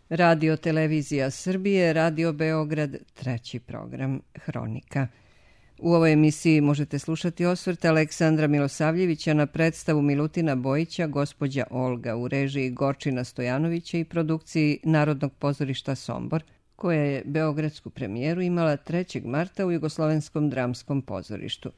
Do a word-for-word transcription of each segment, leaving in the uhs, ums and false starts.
Radio Televizija Srbije, Radio Beograd, treći program, Hronika. U ovoj emisiji možete slušati osvrt Aleksandra Milosavljevića na predstavu Milutina Bojića Gospođa Olga u režiji Gorčina Stojanovića i produkciji Narodnog pozorišta Sombor, koja je beogradsku premijeru imala trećeg marta u Jugoslovenskom dramskom pozorištu.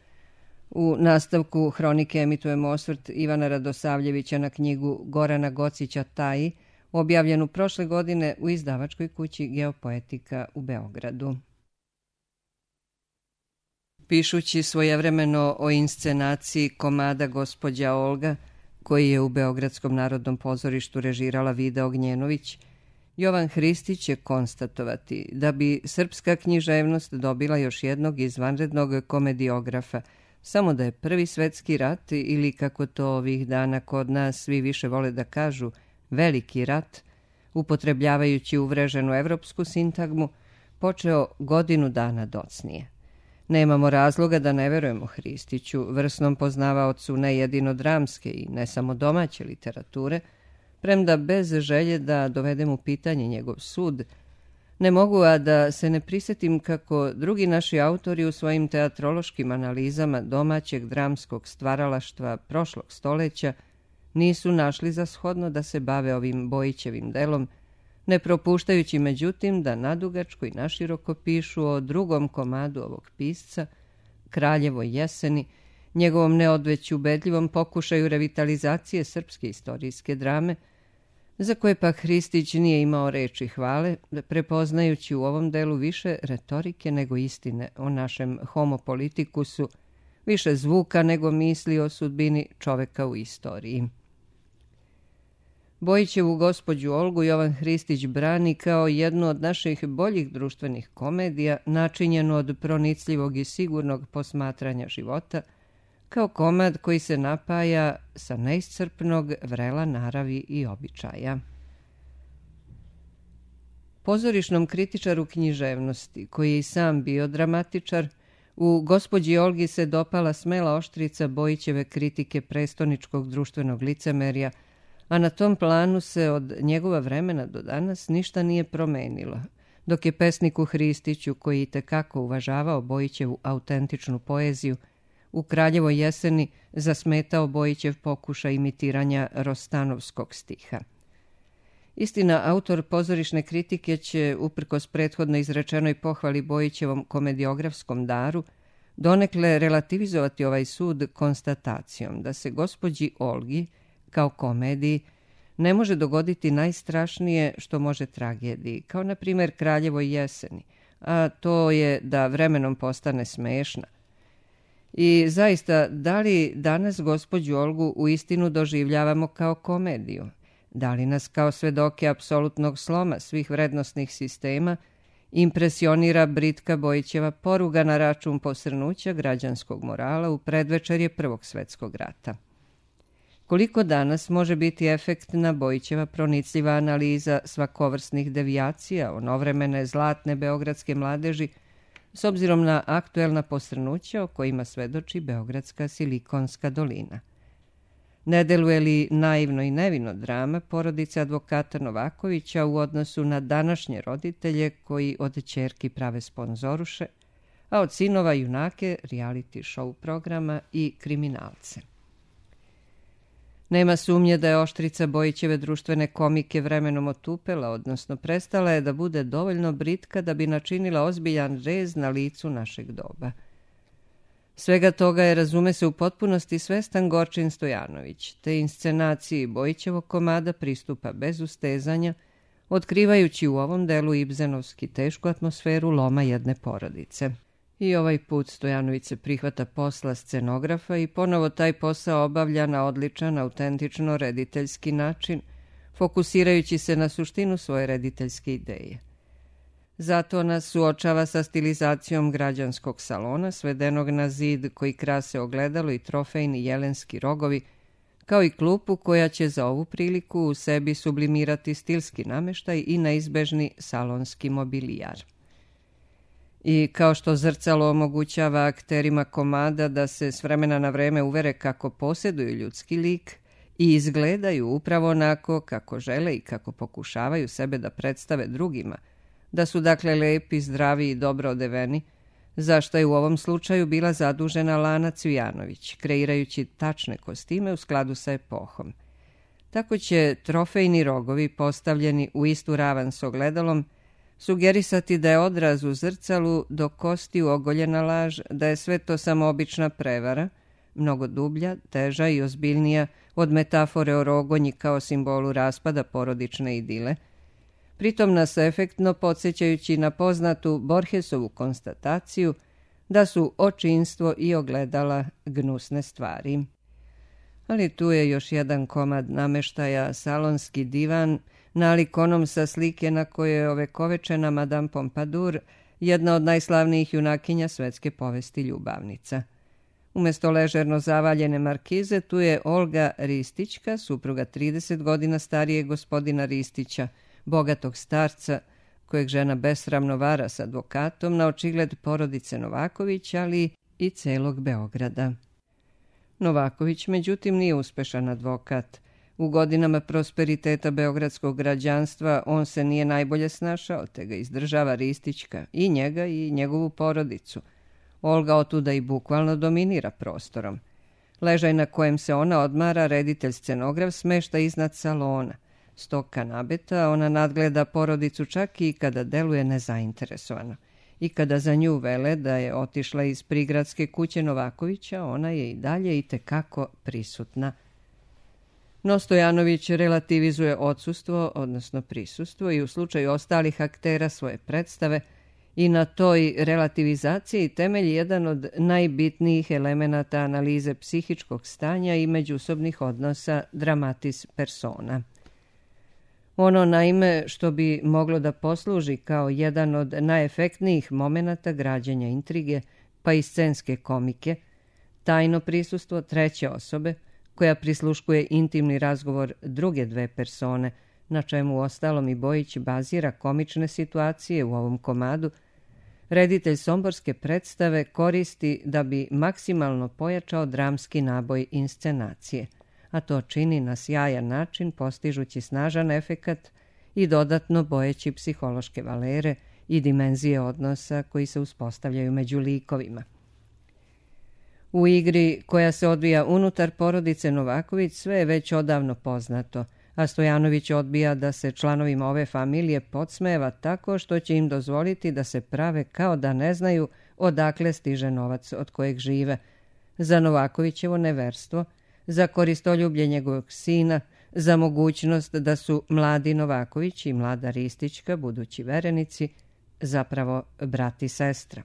U nastavku Hronike emitujemo osvrt Ivana Radosavljevića na knjigu Gorana Gocića Taji, objavljenu prošle godine u izdavačkoj kući Geopoetika u Beogradu. Pišući svojevremeno o inscenaciji komada Gospođa Olga, koji je u Beogradskom narodnom pozorištu režirala Vida Ognjenović, Jovan Hristić će konstatovati da bi srpska književnost dobila još jednog izvanrednog komediografa, samo da je Prvi svetski rat, ili kako to ovih dana kod nas svi više vole da kažu, Veliki rat, upotrebljavajući uvreženu evropsku sintagmu, počeo godinu dana docnije. Nemamo razloga da ne verujemo Hristiću, vrsnom poznavaocu ne jedino dramske i ne samo domaće literature, premda bez želje da dovedem u pitanje njegov sud, ne mogu a da se ne prisetim kako drugi naši autori u svojim teatrološkim analizama domaćeg dramskog stvaralaštva prošlog stoleća nisu našli za shodno da se bave ovim Bojićevim delom, ne propuštajući međutim da nadugačko i naširoko pišu o drugom komadu ovog pisca, Kraljevoj jeseni, njegovom neodveć ubedljivom pokušaju revitalizacije srpske istorijske drame, za koje pak Hristić nije imao reči hvale, prepoznajući u ovom delu više retorike nego istine o našem homo politikusu, više zvuka nego misli o sudbini čoveka u istoriji. Bojićevu Gospođu Olgu Jovan Hristić brani kao jednu od naših boljih društvenih komedija, načinjenu od pronicljivog i sigurnog posmatranja života, kao komad koji se napaja sa neiscrpnog vrela naravi i običaja. Pozorišnom kritičaru književnosti, koji je i sam bio dramatičar, u Gospođi Olgi se dopala smela oštrica Bojićeve kritike prestoničkog društvenog licemerja, a na tom planu se od njegova vremena do danas ništa nije promenilo, dok je pesniku Hristiću, koji itekako uvažavao Bojićevu autentičnu poeziju, u Kraljevoj jeseni zasmetao Bojićev pokušaj imitiranja Rostanovskog stiha. Istina, autor pozorišne kritike će, uprkos prethodno izrečenoj pohvali Bojićevom komediografskom daru, donekle relativizovati ovaj sud konstatacijom da se Gospođi Olgi, kao komediji, ne može dogoditi najstrašnije što može tragediji, kao na primjer Kraljevoj jeseni, a to je da vremenom postane smešna. I zaista, da li danas Gospođu Olgu u istinu doživljavamo kao komediju? Da li nas kao svedoke apsolutnog sloma svih vrednostnih sistema impresionira britka Bojićeva poruga na račun posrnuća građanskog morala u predvečerje Prvog svetskog rata? Koliko danas može biti efektna Bojićeva pronicljiva analiza svakovrsnih devijacija onovremene zlatne beogradske mladeži, s obzirom na aktuelna posrnuća o kojima svedoči Beogradska Silikonska dolina? Ne deluje li naivno i nevino drama porodice advokata Novakovića u odnosu na današnje roditelje koji od ćerki prave sponzoruše, a od sinova junake reality show programa i kriminalce? Nema sumnje da je oštrica Bojićeve društvene komike vremenom otupela, odnosno prestala je da bude dovoljno britka da bi načinila ozbiljan rez na licu našeg doba. Svega toga je, razume se, u potpunosti svestan Gorčin Stojanović, te inscenaciji Bojićevog komada pristupa bez ustezanja, otkrivajući u ovom delu ibzenovski tešku atmosferu loma jedne porodice. I ovaj put Stojanović se prihvata posla scenografa i ponovo taj posao obavlja na odličan, autentično rediteljski način, fokusirajući se na suštinu svoje rediteljske ideje. Zato nas suočava sa stilizacijom građanskog salona, svedenog na zid koji krase ogledalo i trofejni jelenski rogovi, kao i klupu koja će za ovu priliku u sebi sublimirati stilski nameštaj i neizbežni salonski mobilijar. I kao što zrcalo omogućava akterima komada da se s vremena na vreme uvere kako posjeduju ljudski lik, i izgledaju upravo onako kako žele i kako pokušavaju sebe da predstave drugima, da su dakle lepi, zdravi i dobro odeveni, za što je u ovom slučaju bila zadužena Lana Cvijanović, kreirajući tačne kostime u skladu sa epohom. Tako će trofejni rogovi postavljeni u istu ravan s ogledalom sugerisati da je odraz u zrcalu do kostiju ogoljena laž, da je sve to samo obična prevara, mnogo dublja, teža i ozbiljnija od metafore o rogonji kao simbolu raspada porodične idile, pritom nas efektno podsjećajući na poznatu Borgesovu konstataciju da su očinstvo i ogledala gnusne stvari. Ali tu je još jedan komad nameštaja, salonski divan, nalik onom sa slike na kojoj je ovekovečena Madame Pompadour, jedna od najslavnijih junakinja svetske povesti ljubavnica. Umjesto ležerno zavaljene markize, tu je Olga Ristićka, supruga trideset godina starijeg gospodina Ristića, bogatog starca, kojeg žena besramno vara s advokatom na očigled porodice Novaković, ali i celog Beograda. Novaković, međutim, nije uspešan advokat. U godinama prosperiteta beogradskog građanstva on se nije najbolje snašao, te ga izdržava Ristićka, i njega i njegovu porodicu. Olga otuda i bukvalno dominira prostorom. Ležaj na kojem se ona odmara, reditelj scenograf, smešta iznad salona. S tog kanabeta ona nadgleda porodicu čak i kada deluje nezainteresovano. I kada za nju vele da je otišla iz prigradske kuće Novakovića, ona je i dalje itekako prisutna. No Stojanović relativizuje odsustvo, odnosno prisustvo, i u slučaju ostalih aktera svoje predstave, i na toj relativizaciji temelji jedan od najbitnijih elemenata analize psihičkog stanja i međusobnih odnosa dramatis persona. Ono, naime, što bi moglo da posluži kao jedan od najefektnijih momenata građenja intrige, pa i scenske komike, tajno prisustvo treće osobe, koja prisluškuje intimni razgovor druge dve persone, na čemu ostalom i Bojić bazira komične situacije u ovom komadu, reditelj somborske predstave koristi da bi maksimalno pojačao dramski naboj inscenacije, a to čini na sjajan način postižući snažan efekat i dodatno bojeći psihološke valere i dimenzije odnosa koji se uspostavljaju među likovima. U igri koja se odvija unutar porodice Novaković sve je već odavno poznato, a Stojanović odbija da se članovima ove familije podsmeva tako što će im dozvoliti da se prave kao da ne znaju odakle stiže novac od kojeg žive, za Novakovićevo neverstvo, za koristoljublje njegovog sina, za mogućnost da su mladi Novaković i mlada Ristićka, budući verenici, zapravo brat i sestra.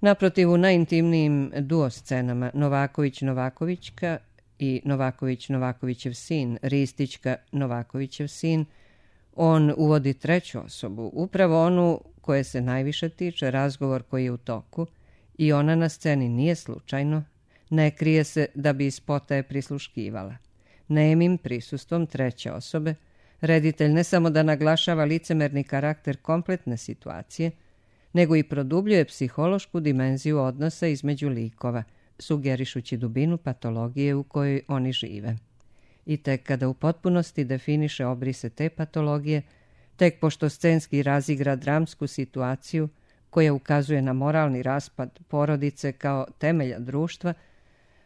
Naprotiv, u najintimnijim duo scenama Novaković-Novakovićka i Novaković-Novakovićev sin, Ristićka-Novakovićev sin, on uvodi treću osobu, upravo onu koje se najviše tiče, razgovor koji je u toku, i ona na sceni nije slučajno, ne krije se da bi iz potaje prisluškivala. Nemim prisustvom treće osobe, reditelj ne samo da naglašava licemerni karakter kompletne situacije, nego i produbljuje psihološku dimenziju odnosa između likova, sugerišući dubinu patologije u kojoj oni žive. I tek kada u potpunosti definiše obrise te patologije, tek pošto scenski razigra dramsku situaciju koja ukazuje na moralni raspad porodice kao temelja društva,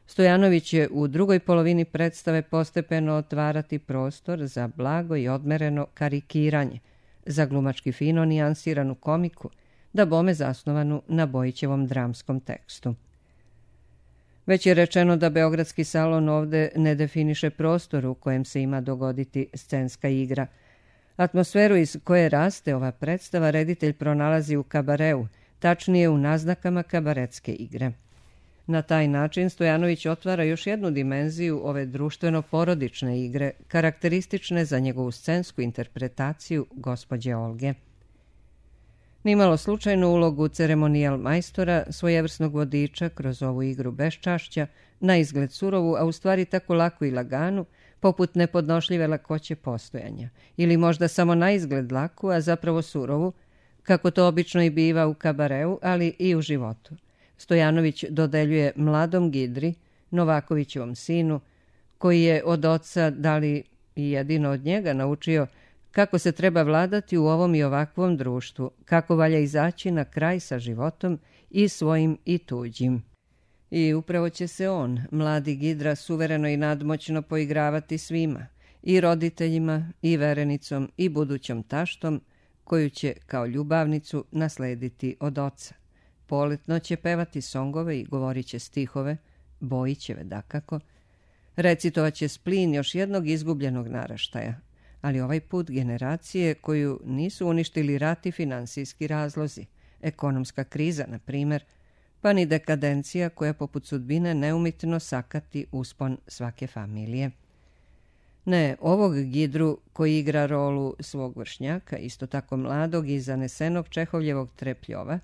Stojanović je u drugoj polovini predstave postepeno otvarati prostor za blago i odmereno karikiranje, za glumački fino nijansiranu komiku, da bome zasnovanu na Bojićevom dramskom tekstu. Već je rečeno da Beogradski salon ovde ne definiše prostor u kojem se ima dogoditi scenska igra. Atmosferu iz koje raste ova predstava reditelj pronalazi u kabareu, tačnije u naznakama kabaretske igre. Na taj način Stojanović otvara još jednu dimenziju ove društveno-porodične igre, karakteristične za njegovu scensku interpretaciju gospođe Olge. Nimalo slučajnu ulogu ceremonijal majstora, svojevrsnog vodiča kroz ovu igru beščašća, na izgled surovu, a u stvari tako laku i laganu, poput nepodnošljive lakoće postojanja, ili možda samo na izgled laku, a zapravo surovu, kako to obično i biva u kabareu, ali i u životu. Stojanović dodeljuje mladom Gidri, Novakovićevom sinu, koji je od oca, da li i jedino od njega, naučio kako se treba vladati u ovom i ovakvom društvu, kako valja izaći na kraj sa životom i svojim i tuđim. I upravo će se on, mladi Gidra, suvereno i nadmoćno poigravati svima, i roditeljima, i verenicom, i budućom taštom, koju će kao ljubavnicu naslediti od oca. Poletno će pevati songove i govorit će stihove, Bojićeve dakako, recitovat će splin još jednog izgubljenog naraštaja, ali ovaj put generacije koju nisu uništili rat i finansijski razlozi, ekonomska kriza, na primjer, pa ni dekadencija koja poput sudbine neumitno sakati uspon svake familije. Ne, ovog Gidru koji igra rolu svog vršnjaka, isto tako mladog i zanesenog Čehovljevog trepljova,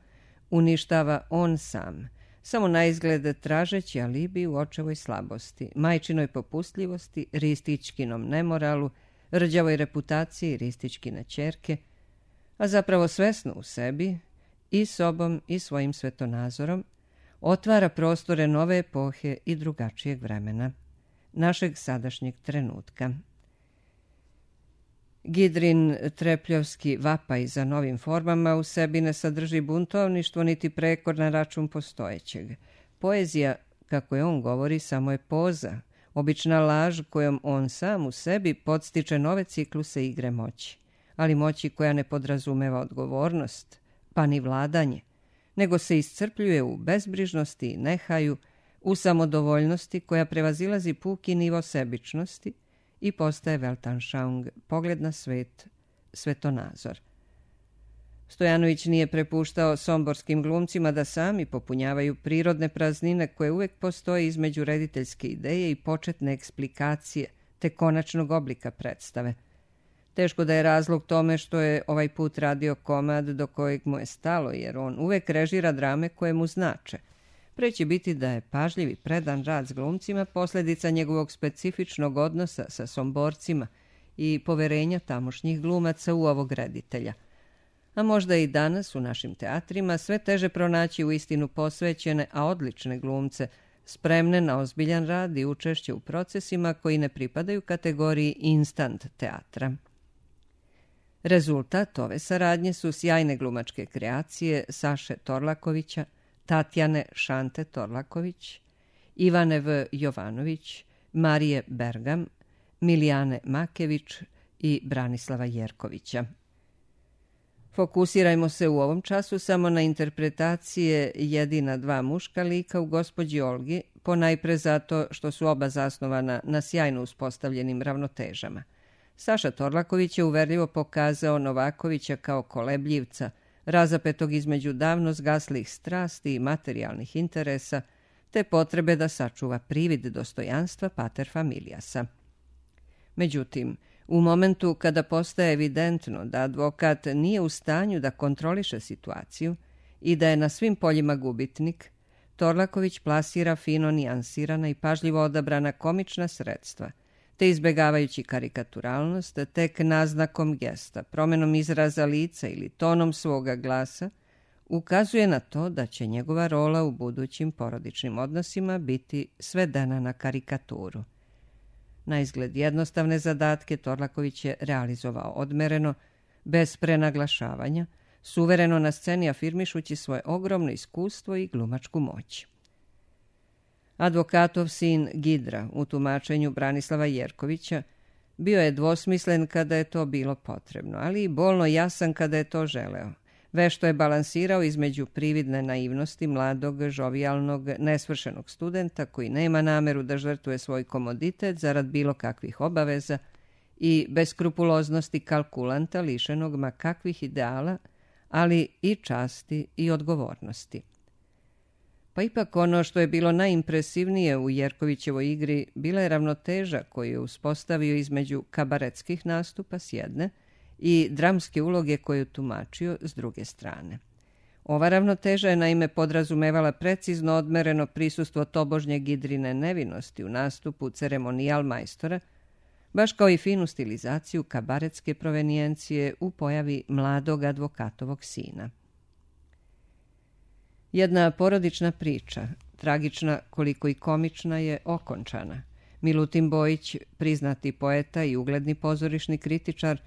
uništava on sam, samo naizgled tražeći alibi u očevoj slabosti, majčinoj popustljivosti, Ristićkinom nemoralu, rđavoj reputaciji Ristićkine ćerke, a zapravo svesno u sebi, i sobom i svojim svetonazorom, otvara prostore nove epohe i drugačijeg vremena, našeg sadašnjeg trenutka. Gidrin trepljovski vapaj za novim formama u sebi ne sadrži buntovništvo niti prekor na račun postojećeg. Poezija, kako je on govori, samo je poza, obična laž kojom on sam u sebi podstiče nove cikluse igre moći, ali moći koja ne podrazumeva odgovornost, pa ni vladanje, nego se iscrpljuje u bezbrižnosti i nehaju, u samodovoljnosti koja prevazilazi puki nivo sebičnosti i postaje Weltanschauung, pogled na svet, svetonazor. Stojanović nije prepuštao somborskim glumcima da sami popunjavaju prirodne praznine koje uvek postoje između rediteljske ideje i početne eksplikacije te konačnog oblika predstave. Teško da je razlog tome što je ovaj put radio komad do kojeg mu je stalo, jer on uvek režira drame koje mu znače. Pre će biti da je pažljiv i predan rad s glumcima posljedica njegovog specifičnog odnosa sa somborcima i poverenja tamošnjih glumaca u ovog reditelja. A možda i danas u našim teatrima sve teže pronaći u istinu posvećene, a odlične glumce, spremne na ozbiljan rad i učešće u procesima koji ne pripadaju kategoriji instant teatra. Rezultat ove saradnje su sjajne glumačke kreacije Saše Torlakovića, Tatjane Šante Torlaković, Ivane V. Jovanović, Marije Bergam, Milijane Makević i Branislava Jerkovića. Fokusirajmo se u ovom času samo na interpretacije jedina dva muška lika u Gospođi Olgi, ponajpre zato što su oba zasnovana na sjajno uspostavljenim ravnotežama. Saša Torlaković je uverljivo pokazao Novakovića kao kolebljivca, razapetog između davno zgaslih strasti i materijalnih interesa, te potrebe da sačuva privid dostojanstva pater familiasa. Međutim, u momentu kada postaje evidentno da advokat nije u stanju da kontroliše situaciju i da je na svim poljima gubitnik, Torlaković plasira fino nijansirana i pažljivo odabrana komična sredstva, te izbegavajući karikaturalnost, tek naznakom gesta, promenom izraza lica ili tonom svoga glasa, ukazuje na to da će njegova rola u budućim porodičnim odnosima biti svedena na karikaturu. Na izgled jednostavne zadatke Torlaković je realizovao odmereno, bez prenaglašavanja, suvereno na sceni afirmišući svoje ogromno iskustvo i glumačku moć. Advokatov sin Gidra u tumačenju Branislava Jerkovića bio je dvosmislen kada je to bilo potrebno, ali i bolno jasan kada je to želeo. Vešto je balansirao između prividne naivnosti mladog, žovijalnog, nesvršenog studenta koji nema nameru da žrtvuje svoj komoditet zarad bilo kakvih obaveza i beskrupuloznosti kalkulanta lišenog ma kakvih ideala, ali i časti i odgovornosti. Pa ipak ono što je bilo najimpresivnije u Jerkovićevoj igri bila je ravnoteža koju je uspostavio između kabaretskih nastupa s jedne i dramske uloge koju je tumačio s druge strane. Ova ravnoteža je naime podrazumevala precizno odmereno prisustvo tobožnje Gidrine nevinosti u nastupu ceremonijal majstora, baš kao i finu stilizaciju kabaretske provenijencije u pojavi mladog advokatovog sina. Jedna porodična priča, tragična koliko i komična, je okončana. Milutin Bojić, priznati poeta i ugledni pozorišni kritičar,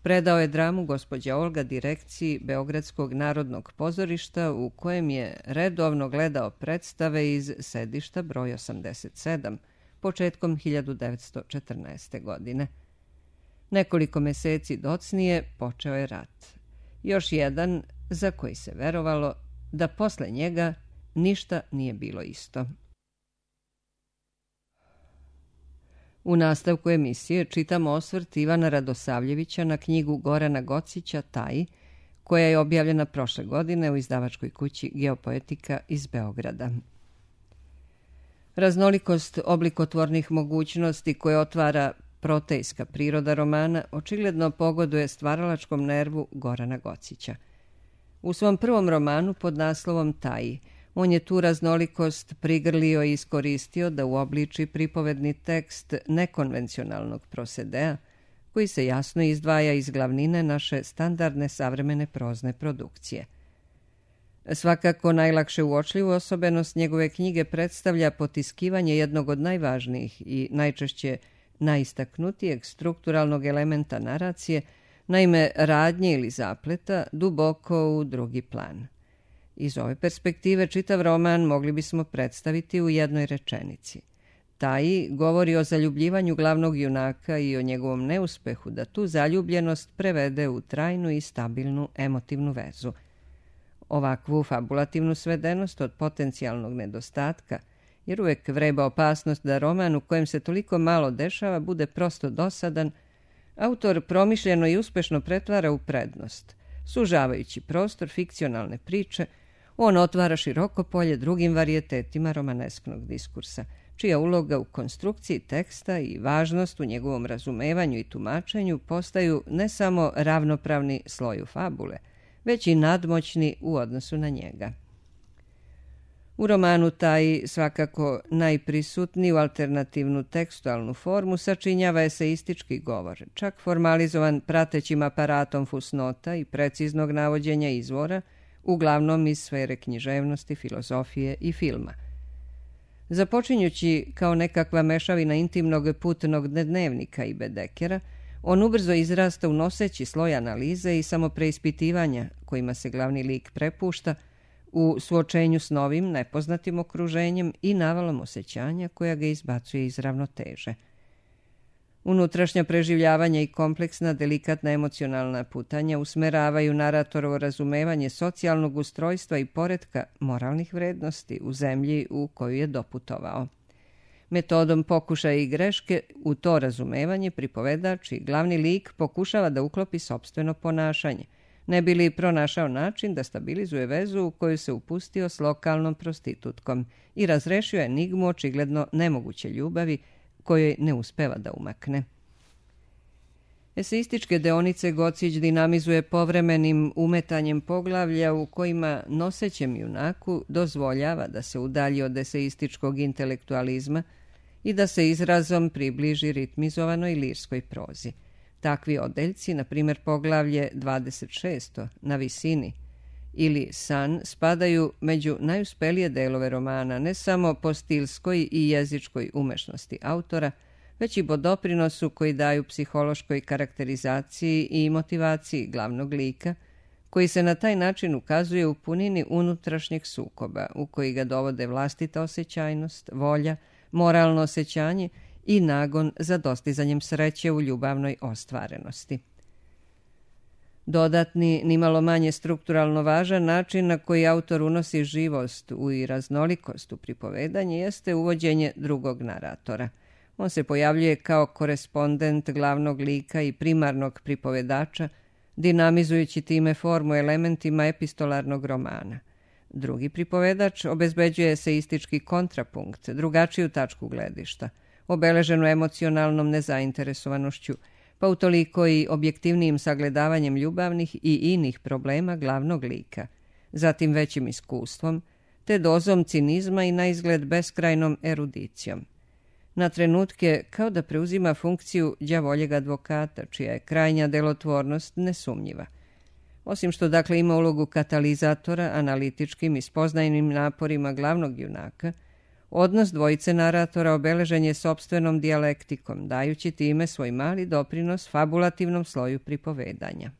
predao je dramu Gospođa Olga direkciji Beogradskog narodnog pozorišta, u kojem je redovno gledao predstave iz sedišta broj osamdeset sedam, početkom hiljadu devetsto četrnaeste. godine. Nekoliko meseci docnije počeo je rat. Još jedan za koji se verovalo da posle njega ništa nije bilo isto. U nastavku emisije čitamo osvrt Ivana Radosavljevića na knjigu Gorana Gocića Taj, koja je objavljena prošle godine u izdavačkoj kući Geopoetika iz Beograda. Raznolikost oblikotvornih mogućnosti koje otvara protejska priroda romana očigledno pogoduje stvaralačkom nervu Gorana Gocića. U svom prvom romanu pod naslovom Taj, on je tu raznolikost prigrlio i iskoristio da uobliči pripovedni tekst nekonvencionalnog prosedea, koji se jasno izdvaja iz glavnine naše standardne savremene prozne produkcije. Svakako najlakše uočljivu osobenost njegove knjige predstavlja potiskivanje jednog od najvažnijih i najčešće najistaknutijeg strukturalnog elementa naracije, naime radnje ili zapleta, duboko u drugi plan. Iz ove perspektive čitav roman mogli bismo predstaviti u jednoj rečenici. Taj govori o zaljubljivanju glavnog junaka i o njegovom neuspehu da tu zaljubljenost prevede u trajnu i stabilnu emotivnu vezu. Ovakvu fabulativnu svedenost od potencijalnog nedostatka, jer uvek vreba opasnost da roman u kojem se toliko malo dešava bude prosto dosadan, autor promišljeno i uspešno pretvara u prednost. Sužavajući prostor fikcionalne priče, on otvara široko polje drugim varijetetima romanesknog diskursa, čija uloga u konstrukciji teksta i važnost u njegovom razumevanju i tumačenju postaju ne samo ravnopravni sloju fabule, već i nadmoćni u odnosu na njega. U romanu Taj svakako najprisutniju alternativnu tekstualnu formu sačinjava eseistički govor, čak formalizovan pratećim aparatom fusnota i preciznog navođenja izvora, uglavnom iz sfere književnosti, filozofije i filma. Započinjući kao nekakva mešavina intimnog putnog dnevnika i Bedekera, on ubrzo izrasta u noseći sloj analize i samopreispitivanja kojima se glavni lik prepušta u suočenju s novim, nepoznatim okruženjem i navalom osjećanja koja ga izbacuje iz ravnoteže. Unutrašnja preživljavanja i kompleksna, delikatna emocionalna putanja usmeravaju naratorovo razumevanje socijalnog ustrojstva i poretka moralnih vrednosti u zemlji u koju je doputovao. Metodom pokušaja i greške u to razumevanje pripovedač i glavni lik pokušava da uklopi sopstveno ponašanje, ne bi li pronašao način da stabilizuje vezu u koju se upustio s lokalnom prostitutkom i razrešio enigmu očigledno nemoguće ljubavi kojoj ne uspeva da umakne. Eseističke deonice Gocić dinamizuje povremenim umetanjem poglavlja u kojima nosećem junaku dozvoljava da se udalji od eseističkog intelektualizma i da se izrazom približi ritmizovanoj lirskoj prozi. Takvi odeljci, na primjer poglavlje dvadeset šest Na visini ili San, spadaju među najuspelije delove romana ne samo po stilskoj i jezičkoj umešnosti autora, već i po doprinosu koji daju psihološkoj karakterizaciji i motivaciji glavnog lika, koji se na taj način ukazuje u punini unutrašnjeg sukoba, u koji ga dovode vlastita osjećajnost, volja, moralno osjećanje i nagon za dostizanjem sreće u ljubavnoj ostvarenosti. Dodatni, nimalo manje strukturalno važan način na koji autor unosi živost u i raznolikost u pripovedanje jeste uvođenje drugog naratora. On se pojavljuje kao korespondent glavnog lika i primarnog pripovedača, dinamizujući time formu elementima epistolarnog romana. Drugi pripovedač obezbeđuje eseistički kontrapunkt, drugačiju tačku gledišta, obeleženu emocionalnom nezainteresovanošću, pa utoliko i objektivnijim sagledavanjem ljubavnih i inih problema glavnog lika, zatim većim iskustvom, te dozom cinizma i na izgled beskrajnom erudicijom. Na trenutke kao da preuzima funkciju đavoljeg advokata, čija je krajnja delotvornost nesumnjiva. Osim što dakle ima ulogu katalizatora analitičkim i spoznajnim naporima glavnog junaka, Odnos dvojice naratora obeležen je sopstvenom dijalektikom, dajući time svoj mali doprinos fabulativnom sloju pripovedanja.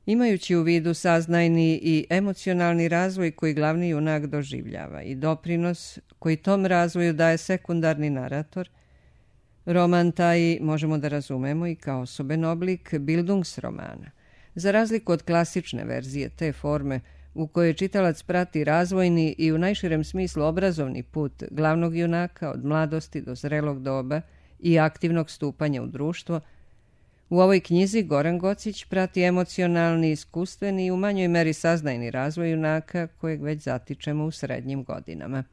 Imajući u vidu saznajni i emocionalni razvoj koji glavni junak doživljava i doprinos koji tom razvoju daje sekundarni narator, roman taj možemo da razumemo i kao osoben oblik Bildungsromana. Za razliku od klasične verzije te forme, u kojoj čitalac prati razvojni i u najširem smislu obrazovni put glavnog junaka od mladosti do zrelog doba i aktivnog stupanja u društvo, u ovoj knjizi Goran Gocić prati emocionalni, iskustveni i u manjoj meri saznajni razvoj junaka kojeg već zatičemo u srednjim godinama.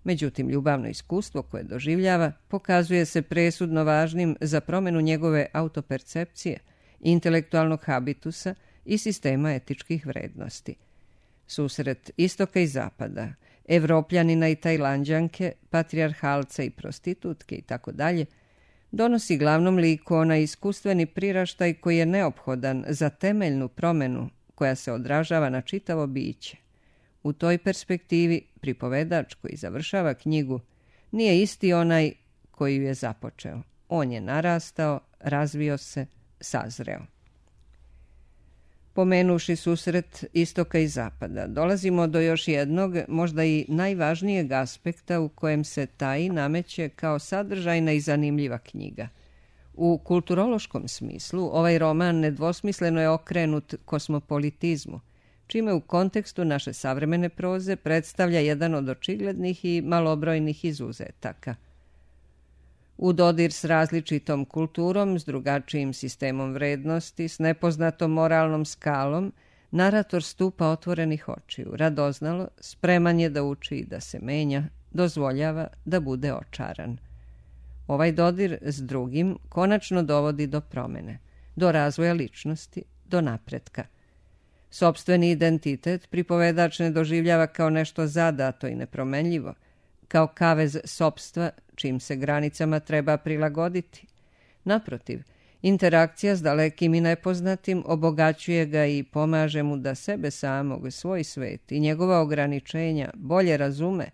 Međutim, ljubavno iskustvo koje doživljava pokazuje se presudno važnim za promenu njegove autopercepcije, intelektualnog habitusa i sistema etičkih vrednosti. Susret istoka i zapada, Evropljanina i Tajlanđanke, patrijarhalca i prostitutke itd., donosi glavnom liku onaj iskustveni priraštaj koji je neophodan za temeljnu promenu koja se odražava na čitavo biće. U toj perspektivi pripovedač koji završava knjigu nije isti onaj koji ju je započeo. On je narastao, razvio se, sazreo. Pomenuši susret istoka i zapada, dolazimo do još jednog, možda i najvažnijeg aspekta u kojem se taj nameće kao sadržajna i zanimljiva knjiga. U kulturološkom smislu ovaj roman nedvosmisleno je okrenut kosmopolitizmu, čime u kontekstu naše savremene proze predstavlja jedan od očiglednih i malobrojnih izuzetaka. U dodir s različitom kulturom, s drugačijim sistemom vrednosti, s nepoznatom moralnom skalom, narator stupa otvorenih očiju, radoznalo, spreman je da uči i da se menja, dozvoljava da bude očaran. Ovaj dodir s drugim konačno dovodi do promene, do razvoja ličnosti, do napretka. Sopstveni identitet pripovedač ne doživljava kao nešto zadato i nepromenljivo, kao kavez sopstva čim se granicama treba prilagoditi. Naprotiv, interakcija s dalekim i nepoznatim obogaćuje ga i pomaže mu da sebe samog, svoj svet i njegova ograničenja bolje razume,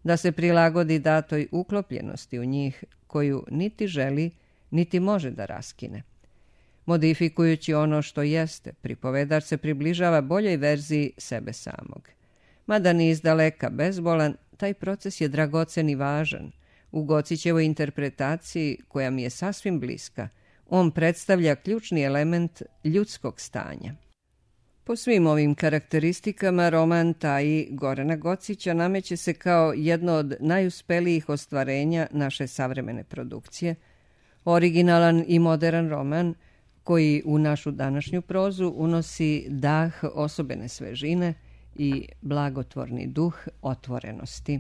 da se prilagodi datoj uklopljenosti u njih koju niti želi, niti može da raskine. Modifikujući ono što jeste, pripovedač se približava boljoj verziji sebe samog. Mada ni izdaleka bezbolan, taj proces je dragocen i važan. U Gocićevoj interpretaciji, koja mi je sasvim bliska, on predstavlja ključni element ljudskog stanja. Po svim ovim karakteristikama, roman taj Gorana Gocića nameće se kao jedno od najuspelijih ostvarenja naše savremene produkcije, originalan i modern roman koji u našu današnju prozu unosi dah osobene svežine i blagotvorni duh otvorenosti.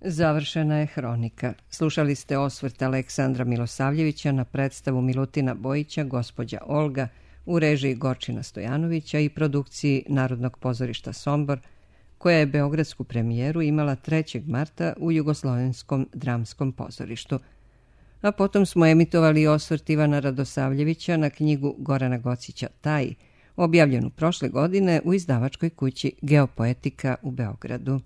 Završena je hronika. Slušali ste osvrt Aleksandra Milosavljevića na predstavu Milutina Bojića Gospođa Olga u režiji Gorčina Stojanovića i produkciji Narodnog pozorišta Sombor, koja je beogradsku premijeru imala trećeg marta u Jugoslovenskom dramskom pozorištu. A potom smo emitovali osvrt Ivana Radosavljevića na knjigu Gorana Gocića Taj, objavljenu prošle godine u izdavačkoj kući Geopoetika u Beogradu.